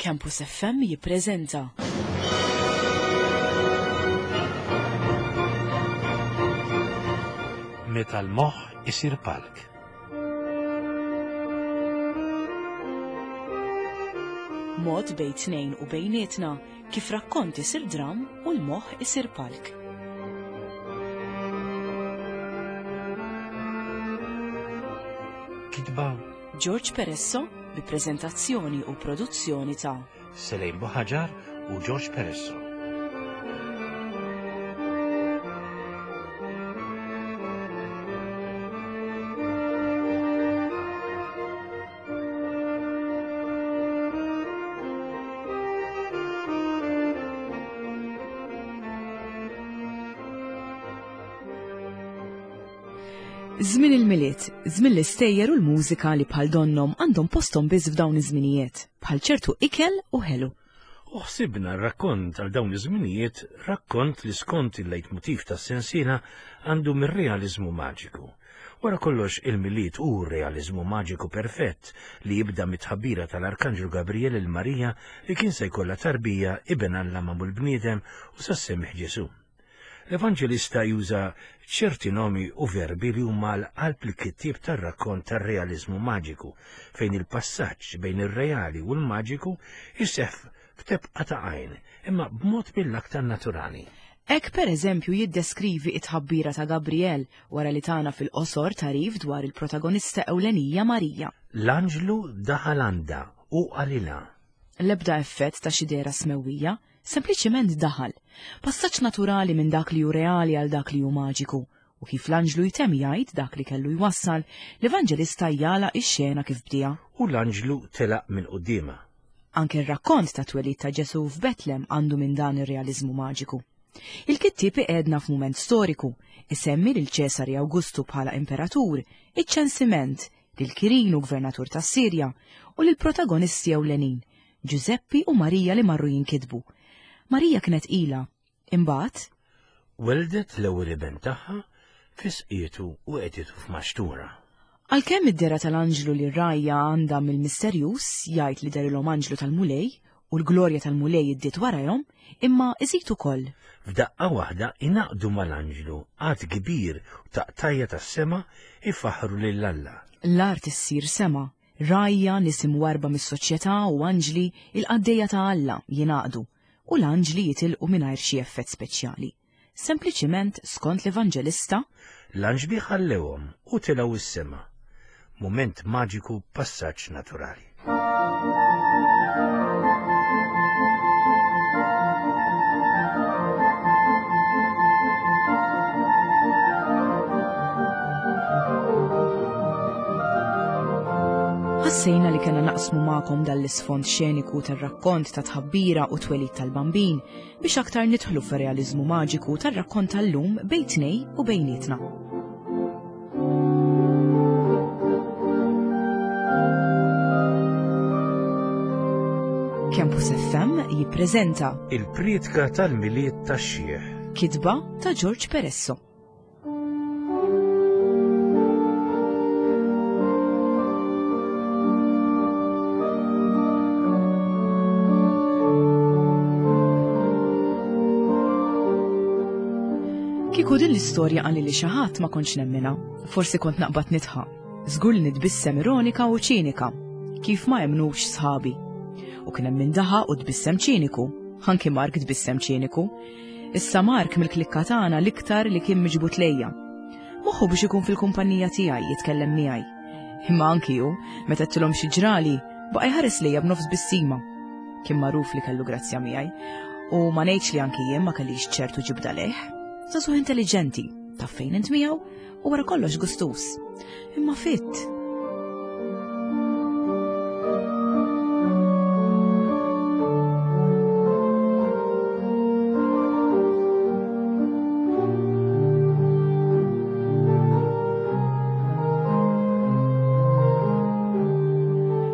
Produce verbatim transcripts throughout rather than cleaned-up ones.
Campus F M jippreżenta Meta l-moħħ isir palk. Mod bejn tnejn u bejnietna kif rakkont isir dram u l-moħħ isir palk. Kitba George Peresso bi preżentazzjoni u produzzjoni ta' Selejn Buħaġar u George Peresso. Żmien il-Milied, żmien l-istejjer u l-mużika li bħal donnhom għandhom posthom biss f'dawn iż-żminijiet, bħal ċertu ikel u ħelu. U ħsibna rakkont għal dawn iż-żminijiet, rakkont li skont il-leitmotiv tas-sensiela għandu mir-realiżmu maġiku. Wara kollox, il-Milied hu realiżmu maġiku perfett li jibda mit-tħabbira tal-Arkanġlu Gabriel lil Marija li kien se jkollha tarbija, iben Alla magħmul bniedem, u sa ssemmieh Ġesù. L-Evanġelista juża ċerti nomi u verbi li huma l-qalb l-kittieb tar-rakkont tar-realiżmu maġiku, fejn il-passaġġ bejn ir-reali u l-maġiku jseħħ f'tebqa ta' għajn, imma b'mod mill-aktar naturali. Hekk per eżempju jiddeskrivi it-tħabbira ta' Gabriel wara li tana fil-qosor tarif dwar il-protagonista ewlenija Marija. L-anġlu daħal għandha u qalilha. L-ebda effett ta' xi dehra smewwija, sempliċiment daħal. Passaġġ naturali minn dak li hu reali għal dak li hu maġiku. U kif l-anġlu jtemm jgħid dak li kellu jwassal, l-Evanġelista jagħlaq ix-xena kif bdieha. U l-anġlu telaq minn quddiemha. Anke r-rakkont ta' twelid ta' Ġesù f'Betlem għandu minn dan ir-realiżmu maġiku. Il-kittieb iqegħedna f'mument storiku, isemmi lil Ċesari Awgustu bħala imperatur, iċ-ċensiment, lil Kirinu gvernatur tas-Sirja u lil protagonisti ewlenin, Ġużeppi u Marija li marru jinkitbu. Marija kienet ila, imbagħad weldet l-ewwel iben tagħha, fisqietu u qegħditu f'maxtura. Għalkemm id-dehra tal-anġlu li r-rgħajja għandha mill-misterjuż jgħid li derilhom anġlu tal-Mulej u l-glorja tal-Mulej iddiet warahom, imma iżid ukoll. F'daqqa waħda ingħaqdu mal-anġlu għadd kbir u taqtajja tas-sema ifaħħru lil Alla. L-art issir sema, rgħajja, nies imwarrba mis-soċjetà u anġli, il-qaddejja ta' Alla jingħaqdu u l-anġli jitilqu mingħajr xi effett speċjali. Sempliċiment skont l-Evanġelista, l-anġli ħallewhom u tilgħu s-sema. Mument maġiku, passaġġ naturali. Ħassejna li kellna naqsmu magħkom dal-isfond xeniku tar-rakkont ta' tħabbira u twelid tal-Bambin biex aktar nidħlu fir-realiżmu maġiku tar-rakkont tal-lum bejn tnej u bejnietna. Campus F M jippreżenta Il-Prietka tal-Milied tax-Xiħ. Kitba ta' George Peresso. Kieku din l-istorja qalli li xi ħadd ma kontx nemmina, forsi kont naqbad nidħaq. Żgur li nitbissem ironika u ċinika, kif ma emmnux sħabi. U kien hemm min daħaq u tbissem ċiniku, anki Mark tbissem ċiniku. Issa Mark mill-klikka tagħna l-iktar li kien miġbud lejja. Moħħu biex ikun fil-kumpanija tiegħi jitkellem miegħi. Imma anki hu, meta għedtilhom xi ġrali, baqa' jħares lejja b'nofs bissima. Kien magħruf li kellu grazzja miegħi, u ma ngħidx li anki jien ma kellix ċertu ġibda lejh. Żagħżugħ intelligenti, taf fejn int miegħu u wara kollox gustus. Imma fitt.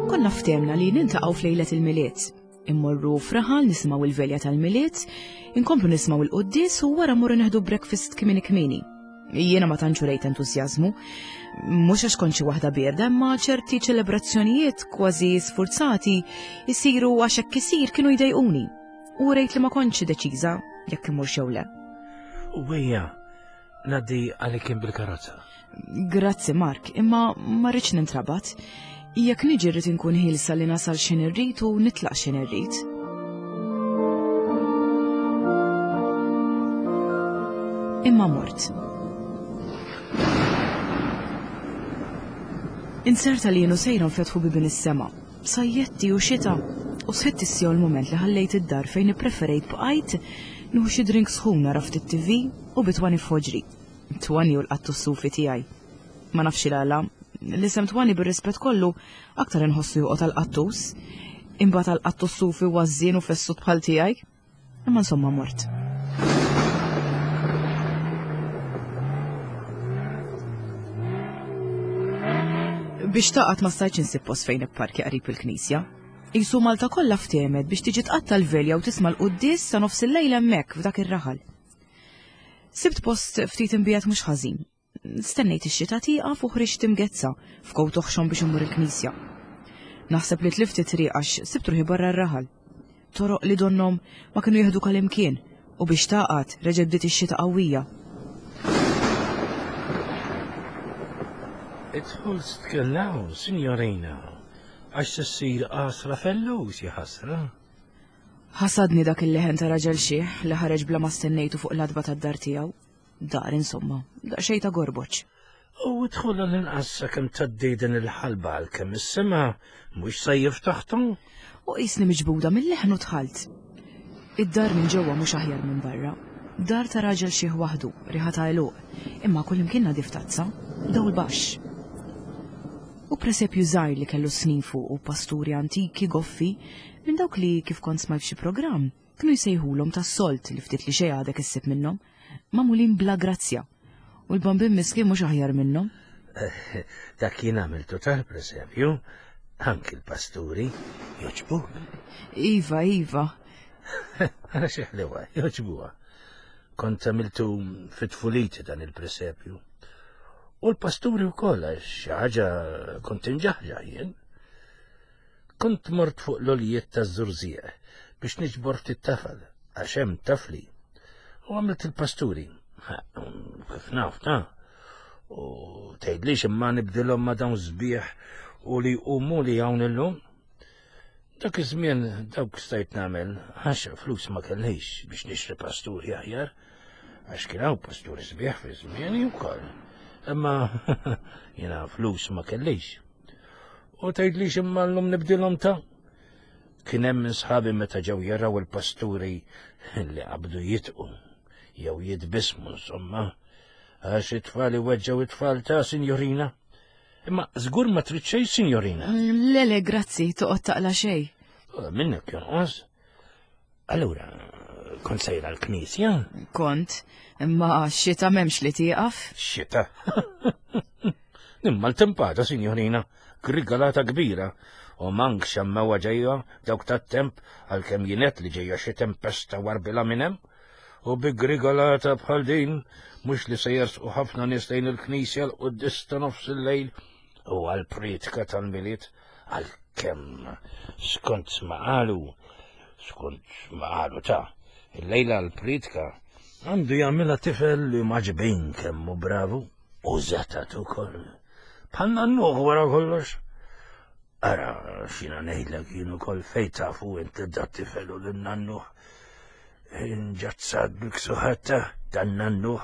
Konna ftehmna li niltaqgħu f'lejlet il-Milied. Immorru f'raħal nisimgħu il-velja tal-Milied, inkomplu nisimgħu il-quddies u wara mmorru neħdu breakfast kmieni kmieni. Jiena ma tantx urejt entużjażmu, mhux għax kont xi waħda bierda, imma ċerti ċelebrazzjonijiet kważi sfurzati jsiru għax hekk isir kienu jdejquni. U rejt li ma kontx deċiża jekk imur jew le. U ejja, ngħaddi għalik bil-karozza. Grazzi Mark, imma ma rridx nintrabat. Jekk niġi rrid inkun ħielsa li nasal x'in irrid u nitlaq x'in irrid. Imma mort. Inserta li jenu sejra nfetħu bibien is-sema, sajjetti u xita, u sħitt issjew il-moment li ħallejt id-dar fejn ippreferejt bqajt nieħu xi drink sħun nara ftit T V u bitwani f'ħoġri. Twani u l-qattu s-sufi tiegħi. Ma nafx il-għala, l-isem Twani bir-rispett kollu aktar inħossu joqgħod għall-qattus, imbagħad għall-qattu s-sufi ważżien u fessut bħal tiegħi. Imma insomma mort. Biex taqgħod ma stajtx insib post fejn ipparkja qrib il-knisja. Isu Malta kollha ftehmet biex tiġi tqatta' l-velja u tisma' l-quddies sa nofs il-lejl hemmhekk f'dak ir-raħal. Sibt post ftit imbijat mhux ħażin. Stennejt ix-xita tieqaf u ħriġt imgezza f'kowt oħxon biex immur il-knisja. Naħseb li tlift it-triq għax sibt ruħi barra r-raħal. Toroq li donnom ma kienu jieħdu kalimkien u biex taqgħod reġgħet bdiet ix-xita qawwija. Idħol tkellaw, signorina, għax se ssir qasra fellus, ja ħasra. Ħasadni dak il-leħen ta' raġel xiħ li ħareġ bla ma stennejtu fuq l-adba tad-dar tiegħu. Dar insomma, daqsxejn ta' gorboċ. U idħol għall-inqas sakemm tgħaddi din il-ħalba għalkemm is-sema mhux se jiftaħtu. U qisni miġbuda mill-leħen u dħalt. Id-dar minn ġewwa mhux aħjar minn barra. Dar ta' raġel xiħ waħdu, riħa ta' għeluq, imma kullimkien nadif tazza, dawl baxx. U presepju żgħir li kellu snin fuq u pasturi antiki goffi minn dawk li kif kont smajt f'xi programm kienu jsejħulhom tas-solt li ftit li xejn għadek issib minnhom, magħmulin bla grazzja. U l-bambin miskin mhux aħjar minnhom. Dak jien għamiltu tal-presepju, anki l-pasturi joġbu. Iva, iva. Ara xi ħlewa, joġbuha. Kont għamiltu fit-tfuliti dan il-presepju. U l-pasturi wkoll għax xi ħaġa kont inġaħġaħ jien. Kont mort fuq l-oljiet taż-żurżieq biex niġbor ftit tafal, għax hemm tafli. U għamilt il-pasturi. Kif naf, ta' u tgħidlix imma nibdilhom ma' dawn sbieħ u li jqumu li hawn illum. Dak iż-żmien dawk stajt nagħmel għax flus ma kellix biex nixtri pasturi aħjar, għax kien hawn pasturi sbieħ fi żmieni wkoll. Imma jiena flus ma kellix. U tgħidlix imma llum nibdilhom ta' kien hemm minn sħabi meta ġew jaraw il-pasturi li qabdu jitqu jew jitbismu insomma, għax it-tfal iweġġgħu it-tfal ta' sinjorina. Imma żgur ma trid xejn, sinjorina. Le, le, grazzi, toqgħod taqla xejn. Minnek jonqos. Allura, kont sejra l-knisja? Kont, imma x-xita m'hemmx li tieqaf. Xita? Imma l-tempata, sinjorina, grigalata kbira. U mank xemmewa ġejja dawk tat-temp għalkemm jienet li ġejja xi tempesta warbila minn hemm. U bi grigalata bħal din, mhux li se jersqu ħafna nies lejn il-knisja l-quddies ta' nofs il-lejl u għall-prietka tal-Milied, għalkemm skont ma qalu, skont ma qalu ta' il-lejla għall-prietka għandu jagħmilha tifel li maġbin kemm hu bravu u żetat ukoll. Bħal nannuh wara kollox. Ara, x'jiena ngħidlek jien ukoll fejn tafu inti dat tifel u lin-nannuh. Inġazzat bil-ksuħata tan-nannuh.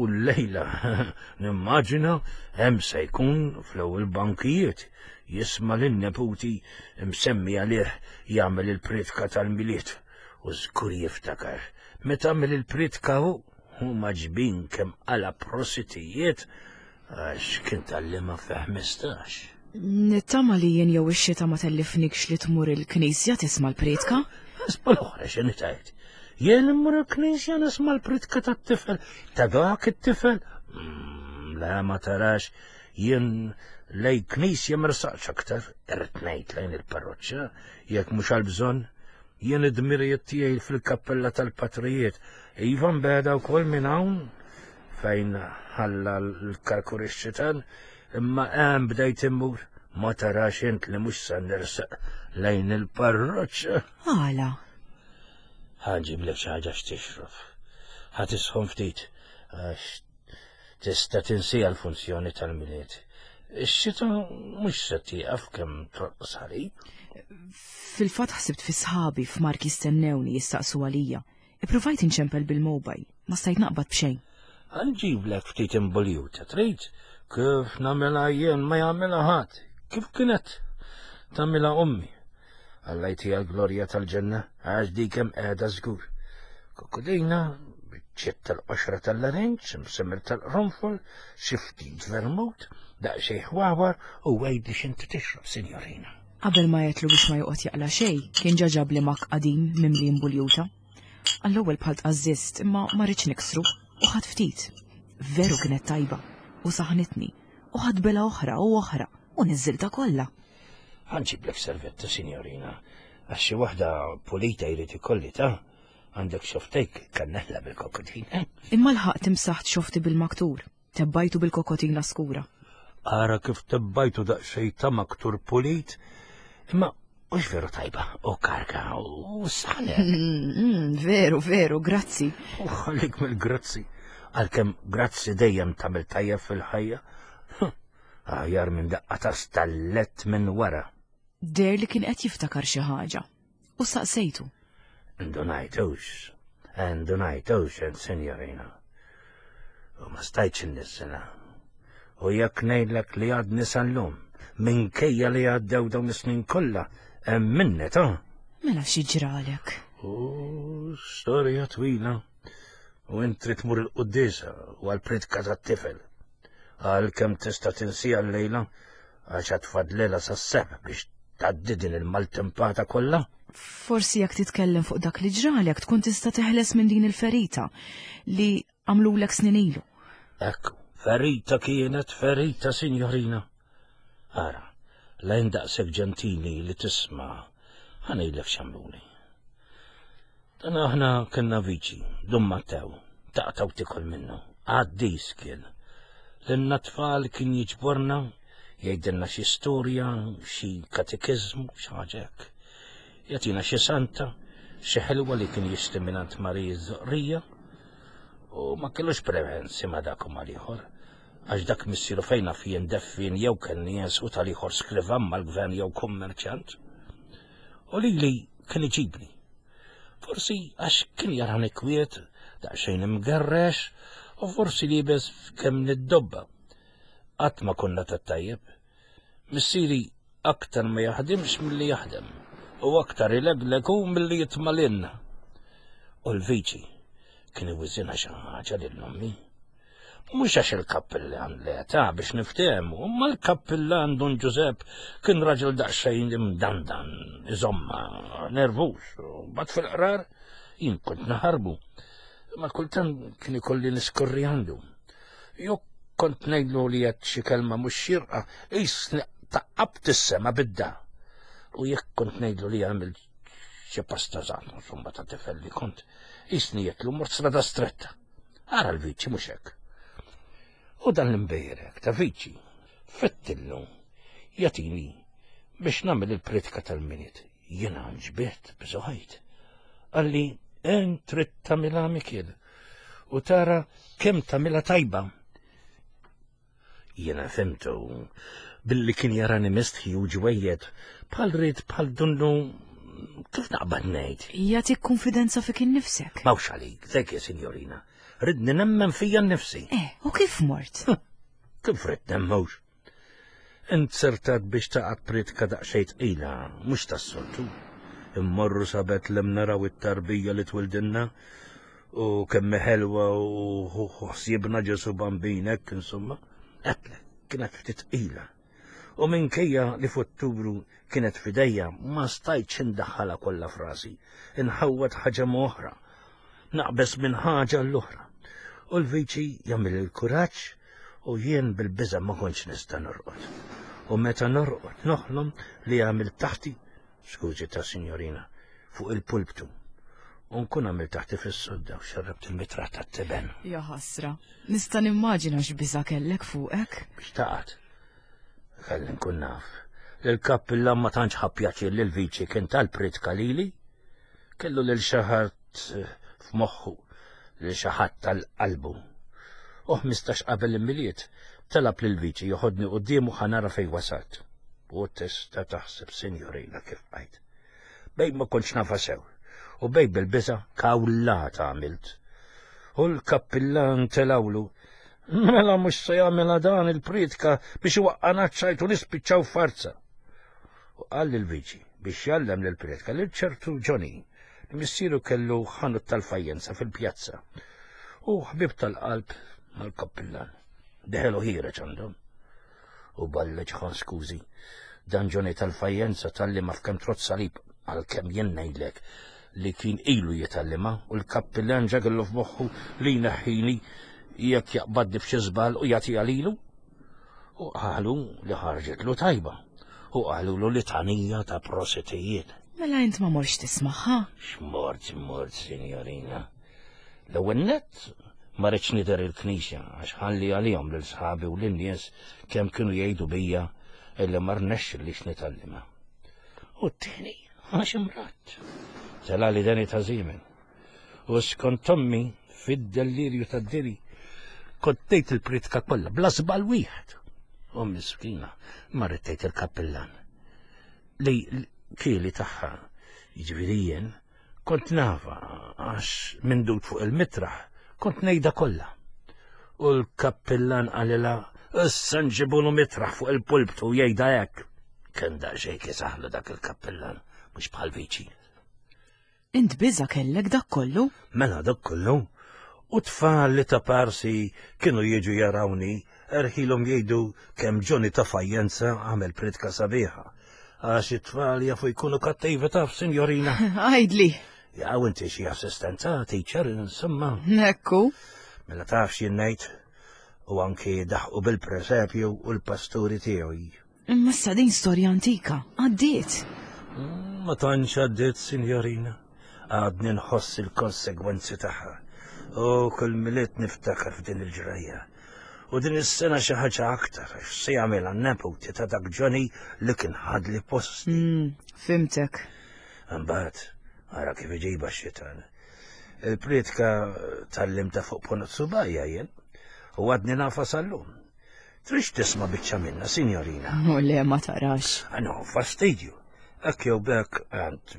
U l-lejla nimmaġina hemm se jkun fl-ewwel bankijiet jisma' lin-neputi msemmi għalih jagħmel il-prietka tal-Milied u żgur jiftakar. Meta għamel il-prietka hu, hu maġbin kemm qala prositijiet għax kien tgħallimha fi ħmistax. Nittama li jien jew ix-xita ma tellifnikx li tmur il-knisja tisma' l-prietka? Isma' l-oħra x'inhi tgħid. Jien immur il-knisja nisma' l-prietka tat-tifel, ta' dak it-tifel. Mm, la ma tarax, jien lej knisja ma rsaqx aktar, irrid ngħid lejn il-parroċċa, jekk mhux għall-bżonn. Jien id-dmirijiet tiegħi fil-kappella tal-patrijiet, iva nbeda wkoll minn hawn fejn ħalla l-karkur ix-xitan, imma hemm bdejt immur. Ma tarax int li mhux se nersaq lejn il-parroċċa. Għala? Ħa nġiblek xi ħaġa x'tixrob. Ħa tisħon ftit għax tista' tinsija l-funzjoni tal-Milied. Ix-xita mhux se tieqaf kemm torqos ħalib. Fil-fatt ħsibt fi sħabi f'Mark jistennewni jistaqsu għalija. Ippruvajt inċempel bil-mobile, ma stajt naqbad b'xejn. Ħa nġiblek ftit imbuljuta, trid? Kif nagħmilha jien ma jagħmilha ħadd. Kif kienet tagħmilha ommi? Alla jtiha l-glorja tal-ġenna, għax dik hemm qiegħda żgur. Kokodina, biċċiet tal-qoxra tal-larinġ, msemmer tal-qronfol, xi ftit vermut, daqsxejn ħwawar u għidli x'inti tixrob, sinjorina. Qabel ma għedtlu biex ma joqgħod jaqla' xejn, kien ġa ġabli mug qadim mimli imbuljuta. Għall-ewwel bħal tqażżist imma ma ridtx niksru u ħadt ftit. Veru kienet tajba u saħnitni u ħadt bela oħra u oħra u niżżilta kollha. Ħa nġiblek servetta, sinjorina, għax xi waħda pulita jrid ikolli ta' għandek xofftejk kannella bil-kokotina. Imma lħaqt imsaħt xofti bil-maktur, tebbajtu bil-kokotina skura. Ara kif tebbajtu daqsxejn ta' maktur pulit, imma mhux veru tajba u karka u saħnek. Mm, mm, veru, veru, grazzi. U ħallik mill-grazzi, għalkemm grazzi dejjem tagħmel tajjeb fil-ħajja. Aħjar minn daqqa ta' stallet minn wara. Deher li kien qed jiftakar xi ħaġa. U saqsejtu. Indunajtux, indunajtux, sinjorina. U ma stajtx inniżżilha. U jekk ngħidlek li għadni sal-lum, minkejja li għaddew dawn is-snin kollha, hemm minni ta' Mela xi ġralek? U storja twila. U int trid tmur il-quddiesa u għall-priedka tat-tifel. Għal kemm tista' tinsija l-lejla għax għad fadlilha sas-sebħ biex tgħaddi din il-maltempata kollha. Forsi jekk titkellem fuq dak li ġralek tkun tista' teħles minn din il-ferita li għamlulek snin ilu. Ekku, ferita kienet ferita, sinjorina. Ara, lejn daqshekk ġentili li tisma' ħa ngħidlek x'għamluli. Dan aħna kellna viċi, Dun Mattew, taqta' u tikol minnu, qaddis kien. Lilna tfal kien jiġborna, jgħidilna xi storja, xi katekiżmu, xi ħaġa hekk. Jagħtina xi santa, xi ħelwa li kien jixtri mingħand Marija Żoqrija, u ma kellux preferenzi ma dak u mal-ieħor. Għax dak missieru fejn naf jien deffien jew kennies u tal-ieħor skrivan mal-gvern jew kummerċjant. U lili kien iġibni. Forsi għax kien jarani kwiet, daqsxejn imgerrex, u forsi liebes kemm niddobba. Qatt ma konna tat-tajjeb. Missieri aktar ma jaħdimx milli jaħdem, u aktar ilegleg hu milli jitmalinna. U l-viċi kien iwiżinha xi ħaġa lil ommi. Mhux għax il-kappillan l-età biex niftehmu, imma l-kappillan Dun Ġużepp kien raġel daqsxejn imdandan, iżomma, nervuż, u bat fil-qrar jien kont naħarbu. Ma kultant kien ikolli niskorri għandu. Jew kont ngħidlu li qed xi kelma mhux xierqa, qisni taqqabt is-sema bidda. U jekk kont ngħidlu li għamil xi pasta żgħar, insomma ta' tifel li kont, qisni għedtlu mort strada stretta. Ara l-viċi mhux hekk. U dan l-imbejrek ta' viċi, fettillu, jagħtini biex nagħmel il-priedka tal-Milied. Jiena nġbiet bżoħajt. Qalli, int trid tagħmilha Mikiel u tara kemm tagħmilha tajba. Jiena fhimtu billi kien jarani mistħi u ġwejjed bħal rid bħal dunnu kif naqbad ngħid. Jagħtik konfidenza fik innifsek. Mawx għalik, dik sinjorina. Ridni nemmen fija nnifsi. Eh, u kif mort? Kif ridt nemmux? Inzertat biex taqgħod priedka daqsxejn tqila, mhux tas-soltu. Immorru sa Betlem naraw it-tarbija li twildinna u kemm ħelwa u ħsiebna Ġesu Bambinek, insomma. Għedtlek, kienet ftit tqila. U minkejja li f'Ottubru kienet fidejja, ma stajtx indaħħalha kollha f'rasi, inħawwad ħaġa oħra, naqbes minn ħaġa l-oħra. U l-viċi jagħmel il-kuraġġ u jien bil-biża' ma kontx nista' norqod. U meta norqod noħlom li għamil taħti, skużi ta' sinjorina, fuq il-pulptu. U nkun għamil taħti fis-sodda u xerrabt il-mitra tat-tiben. Ja ħasra, nista' nimmaġina x'biża' kellek fuqek. Biex taqgħod. Kelli nkun naf. L-kappillan ma tantx ħa pjaċir li l-viċi kien tal-pritka lili. Kellu lil xi ħadd f'moħħu, lil xi ħadd tal-qalbu. U ħmistax qabel il-Milied talab lil viċi joħodni quddiemu ħa nara fejn wasalt. U tista' taħseb, sinjorina, kif bqajt. Bejn ma kontx nafha sew. U bej bil-biża' kawlata għamilt. U l-kappillan telawlu. Mela mhux se jagħmilha dan il-pritka biex iwaqqana ċ-ċajt u nispiċċaw farza. U qal lill-viċi biex jgħallem lill-pritka lil ċertu Johnny li missieru kellu ħanut tal-fajjenza fil-pjazza. U ħbib tal-qalb mal-kappillan. Deħelu ħireġ għandhom. U balleġ ħan skużi. Dan Johnny tal-fajjenza talli ma f'kemm trott salib għalkemm jien ngħidlek li kien ilu jitgħallimha u l-kappillan ġa kellu f'moħħu li jneħħini jekk jaqbadni f'xi żball u jagħtiha lilu. U qalu li ħarġitlu tajba. U qalulu litanija ta' prositijiet. Mela int ma morx tismagħha? X'mort, mort, sinjorina. L-ewwel nett ma rridx nidher il-knisja għax ħalli għalihom lil sħabi u lin-nies kemm kienu jgħidu bija illi ma rnexxilix nitgħallimha. U t-tieni għax imratt. Tela li deni ta' żiemen. U skont ommi fid-dellirju tad-diri kont tgħid il-pritka kollha bla żball wieħed. U miskina ma rrid tgħid il-kappillan. Li kieli tagħha, jiġifieri jien, kont nafa għax mindut fuq il-mitraħ kont ngħidha kollha. U l-kappillan qalilha issa nġibulu mitraħ fuq il-pulptu u jgħidha hekk. Kien daqsxejn kisaħlu dak il-kappillan, mhux bħal viċi. Int biża' kellek dak kollu? Mela dak kollu. U tfal li ta' parsi kienu jiġu jarawni, erħilhom jgħidu kemm Johnny ta' fajjenza għamel pritka sabiħa. Għax it-tfal jafu jkunu kattivi taf, sinjorina. Għajdli. Jaw inti xi assistenza, teacher, insomma. Ekku. Mela taf x'jien ngħid. U anki daħqu bil-presepju u l-pasturi tiegħu. Imma issa din storja antika, għaddiet. Ma tantx għaddiet, sinjorina. Għadni nħoss il-konsegwenzi tagħha. U kull Milied niftakar f'din il-ġrajja. U din is-sena xi ħaġa aktar għax se jagħmilha n-neputi ta' dak Johnny li kien ħadli posti. Mm, fimtek. Imbagħad ara kif iġiba x-xitan. Il-pritka tallimta fuq ponot subajja jien u għadni nafa sal-lum. Trix tisma' biċċa minna, sinjorina. U le ma tarax. No, fastidju. Hekk jew b'hekk għand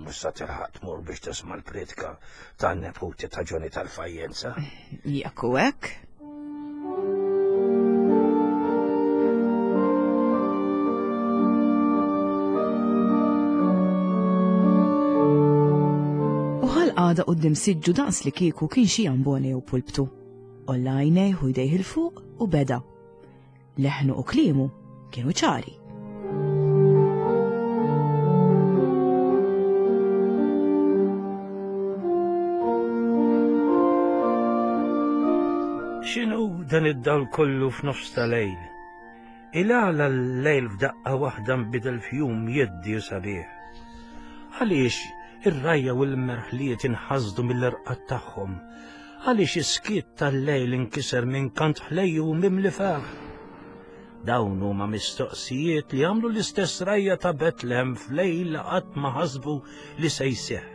mhux sa tilħaq tmur biex tisma' l-pritka tan-neputi ta' Johnny tal-Fajjenza. Jekk hu hekk. U ħal-għada quddiem siġġu daqs li kieku kien xi ambone jew pulptu. Olla għajnejh u jdejh 'il fuq u beda. Leħnu u kliemu kienu ċari. X'inhu dan id-dawl kollu f'nofs ta' lejl? Il-għala l-lejl f'daqqa waħda nbidel f'jum jeddi u sabiħ. Għaliex ir-rajja u l-merħliet inħasdu mill-irqad tagħhom? Għaliex is-skiet tal-lejl inkiser minn kant ħlejju u mimli ferħ? Dawn huma mistoqsijiet li għamlu l-istess rajja ta' Betlehem f'lejl li qatt ma ħasbu li se jseħħ.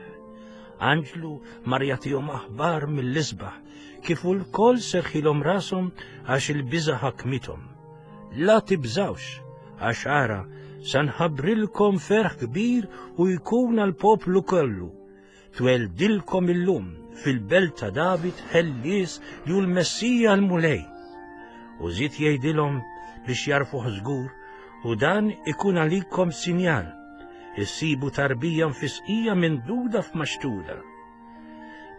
Anġlu mar jagħtihom aħbar mill-isbaħ kif ukoll serħilhom rashom għax il-biża' ħakmithom. La tibżawx, għax ara sa nħabbrilkom ferħ kbir u jkun għall-poplu kollu. Tweldilkom illum fil-belt ta' David ħellies li hu l-Messija l-Mulej. U żied jgħidilhom biex jarfuh żgur, u dan ikun għalikom sinjal. Issibu tarbija mfisqija minn duda f'maxtura.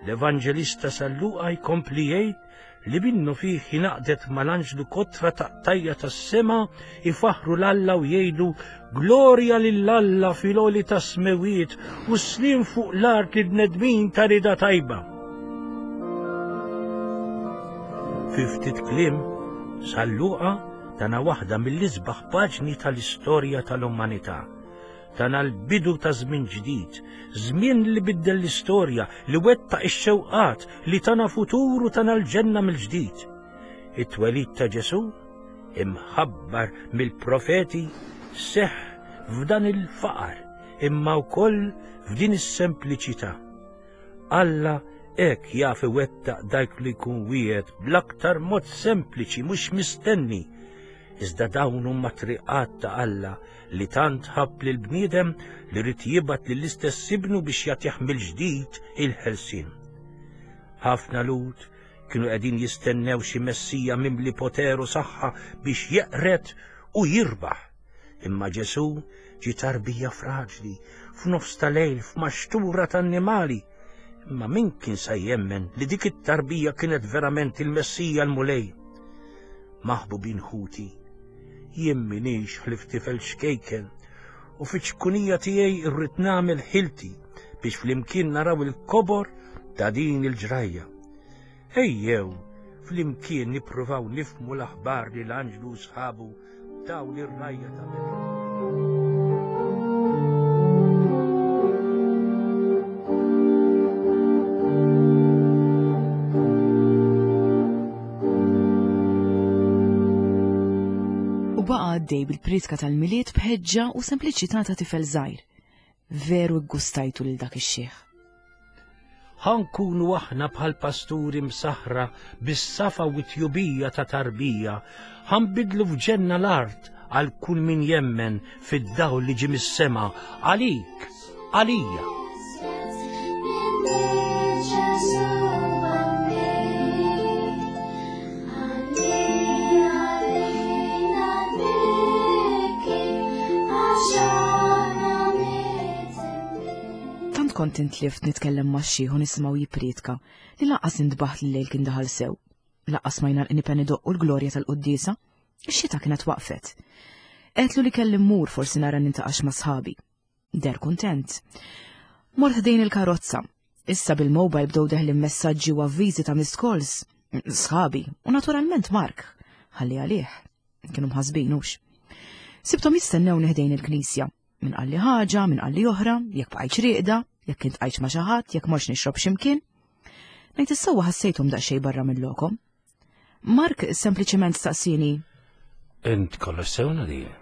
L-Evanġelista San Luqa jkompli jgħid li minnu fih ingħaqdet mal-anġlu kotra taqtajja tas-sema ifaħru l-Alla u jgħidu glorja lil Alla fil-għoli tas-smewiet u sliem fuq l-art li bnedmin ta' rida tajba. Fi ftit kliem, San Luqa tana waħda mill-isbaħ paġni tal-istorja tal-umanità. Tana l-bidu ta' żmien ġdid, żmien li biddel l-istorja, li wettaq ix-xewqat, li tana futur u tana l-ġenna mill-ġdid. It-twelid ta' Ġesù, imħabbar mill-profeti, seħħ f'dan il-faqar, imma wkoll f'din is-sempliċità. Alla hekk jaf iwettaq dak li jkun wiegħed bl-aktar mod sempliċi mhux mistenni. Iżda dawn huma triqat ta' Alla li tant ħabb lil bniedem li rid jibgħat lill-istess ibnu biex jagħtih mill-ġdid il-ħelsien. Ħafna Lhud kienu qegħdin jistennew xi Messija mimli poter u saħħa biex jeqred u jirbaħ. Imma Ġesù ġie tarbija fraġli, f'nofs ta' lejl, f'maxtura ta' annimali. Imma min kien sa jemmen li dik it-tarbija kienet verament il-Messija l-Mulej? Maħbubin ħuti, jien m'iniex ħlief tifel xkejken u fiċ-ċkunija tiegħi rrid nagħmel ħilti biex flimkien naraw il-kobor ta' din il-ġrajja. Ejjew, flimkien nippruvaw nifhmu l-aħbar li l-anġlu u sħabu taw lir-rgħajja ta' Betlehem. U baqa' għaddej bil-priedka tal-Milied b'ħeġġa u sempliċità ta' tifel żgħir. Veru ggustajtu lil dak ix-xiħ. Ħankunu aħna bħal pasturi msaħra bis-safa u t-tjubija ta' tarbija, ħanbidlu f'ġenna l-art għal kull min jemmen fid-dawl li ġie mis-sema, għalik, għalija. Tant kont intlift nitkellem ma' xiħ u nisimgħu jippriedka li lanqas intbaħt li l-lejl kien daħal sew. Lanqas ma jingħalqni pen idoqqu l-glorja tal-quddiesa. Ix-xita kienet waqfet. Għedtlu li kelli mmur forsi nara nintaqax ma' sħabi. Der kuntent. Mort ħdejn il-karozza. Issa bil-mobile bdew deħlin messaġġi u avviżi ta' missed calls. Sħabi, u naturalment Mark. Ħalli għalih. Kienu mħasbin hux. Sibthom jistennewni ħdejn il-knisja. Min qalli ħaġa, min qalli oħra, jekk bqajtx rieqda, jekk kint qajtx ma' xi ħadd, jekk morx nixrob x'imkien. Ngħid is-sewwa ħassejthom daqsxejn barra minn lokom. Mark sempliċement staqsini. Int kollox sew Nadine?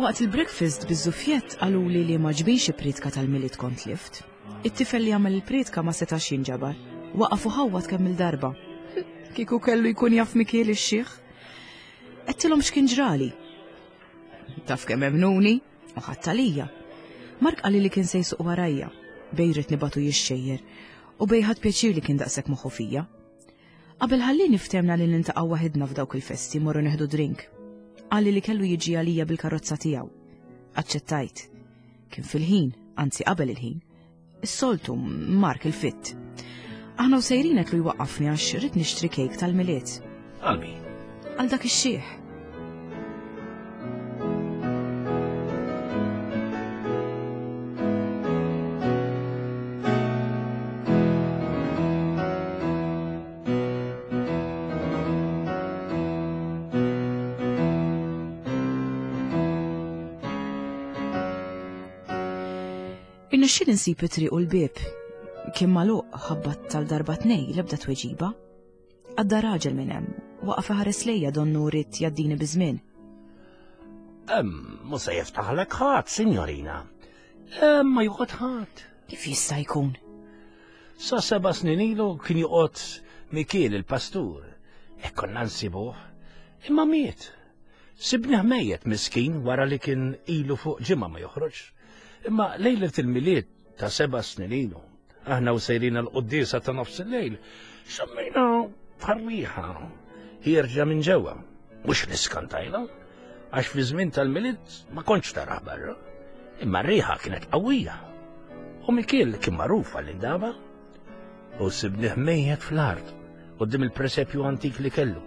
Waqt il-breakfast biż-żufjett qaluli li ma ġbinx priedka tal-Milied kont lift. It-tifel li għamel il-priedka ma setax jinġabar. Waqaf u ħawwad kemm il-darba. Kieku kellu jkun jaf Mikiel ix-xiħ. Għedtilhom x'kien ġrali. Taf kemm emnuni u ħadd għalija. Mark qalli li kien se jsuq warajja, bej ridt nibatu jixxejjer u bej ħadd pjaċir li kien daqshekk moħħu fija. Qabel ħallini ftemna li niltaqgħu waħedna f'dawk il-festi morru neħdu drink. Qalli li kellu jiġi għalija bil-karozza tiegħu. Aċċettajt. Kien fil-ħin, anzi qabel il-ħin. Is-soltu Mark il-fitt. Aħna u sejrin qed lu jwaqqafni għax rrid nixtri kejk tal-Milied. Għal min? Għal dak ix-xiħ. Irnexxieli nsib it-triq u l-bieb. Kien magħluq ħabbat tal-darba tnej l-ebda tweġiba. Għadda raġel minn hemm, waqaf iħares lejja donnu ried jgħaddini biż-żmien. Hemm mhux se jiftaħlek ħadd, sinjorina. Hemm ma joqgħod ħadd. Kif jista' jkun? Sa seba' snin ilu kien joqgħod Mikiel il-pastur. Hekk konna nsibuh. Imma miet. Sibnih mejjet miskin wara li kien ilu fuq ġimgħa ma joħroġ. Imma lejlet il-Milied ta' seba' snin ilu, aħna u sejrin għall-quddiesa ta' nofs il-lejl, xammejna bħar-riħa ħierġa minn ġewwa. Mhux li skantajna, għax fi żmien tal-Milied ma kontx taraħ barra. Imma r-riħa kienet qawwija. U Mikiel kien magħruf għall-indaba. U sibnih mejjet fl-art quddiem il-presepju antik li kellu.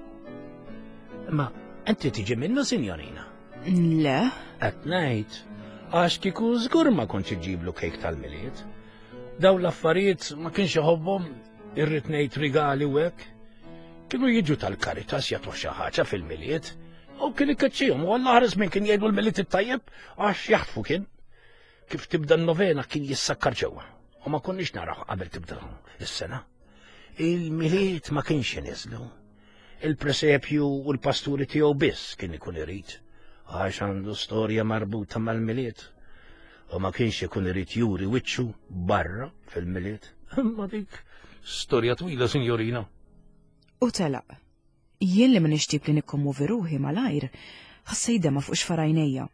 Imma inti tiġi minnu, sinjorina? Le. Qed ngħid, għax kieku żgur ma kontx iġiblu kejk tal-Milied. Dawn l-affarijiet ma kienx iħobbhom, irrid ngħid rigali u hekk. Kienu jiġu tal-Caritas jagħtuh xi ħaġa fil-Milied. U kien ikkeċċihom, u Alla ħares minn kien jgħidu l-Milied it-tajjeb għax jaħtfu kien. Kif tibda n-novena kien jissakkar ġewwa. U ma konniex naraw qabel tibda is-sena. Il-Milied ma kienx iniżlu. Il-presepju u l-pasturi tiegħu biss kien ikun irid, għax għandu storja marbuta mal-Milied. U ma kienx ikun irid juri wiċċu barra fil-Milied. Imma dik storja twila, sinjorina. U telaq. Jien li m'iniex tip li nikkommovi ruħi malajr, ħassejt dema fuq xfarajnejja.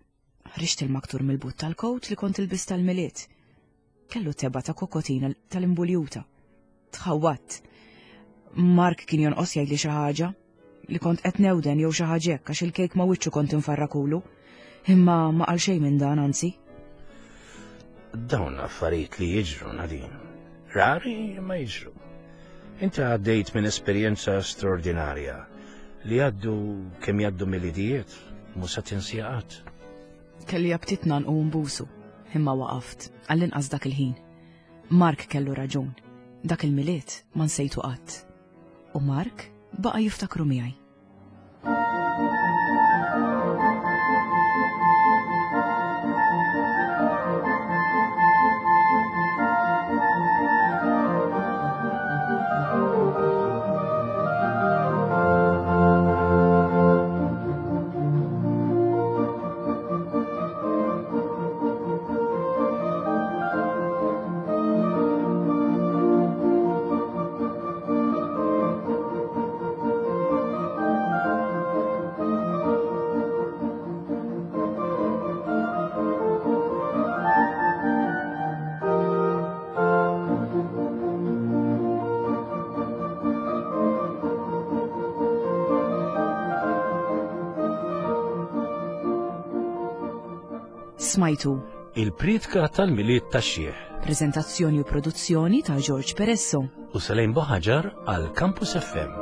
Ħriġt il-maktur mill-but tal-kowt li kont ilbist tal-Milied. Kellu teba ta' kokotina tal-imbuljuta. Tħawwatt. Mark kien jonqos jgħidli xi ħaġa li kont qed newden jew xi ħaġa hekk għax il-kejk ma' wiċċu kont infarrakulu. Imma ma qal xejn minn dan anzi. Dawn affarijiet li jiġru, Nadine. Rari ma jiġru. Inti għaddejt minn esperjenza straordinarja li għaddu kemm jgħaddu Milidijiet, mhux se tinsieha qatt. Kelli aptit ngħannqu nbusu, imma waqaft, għall-inqas dak il-ħin. Mark kellu raġun. Dak il-Milied ma nsejtu qatt. U Mark baqa' jiftakru miegħi. Smajtu Il-priedka tal-Milied tax-Xiħ. Prezentazzjoni u produzzjoni ta' George Peresso. U Selene Buhagiar għal Campus F M.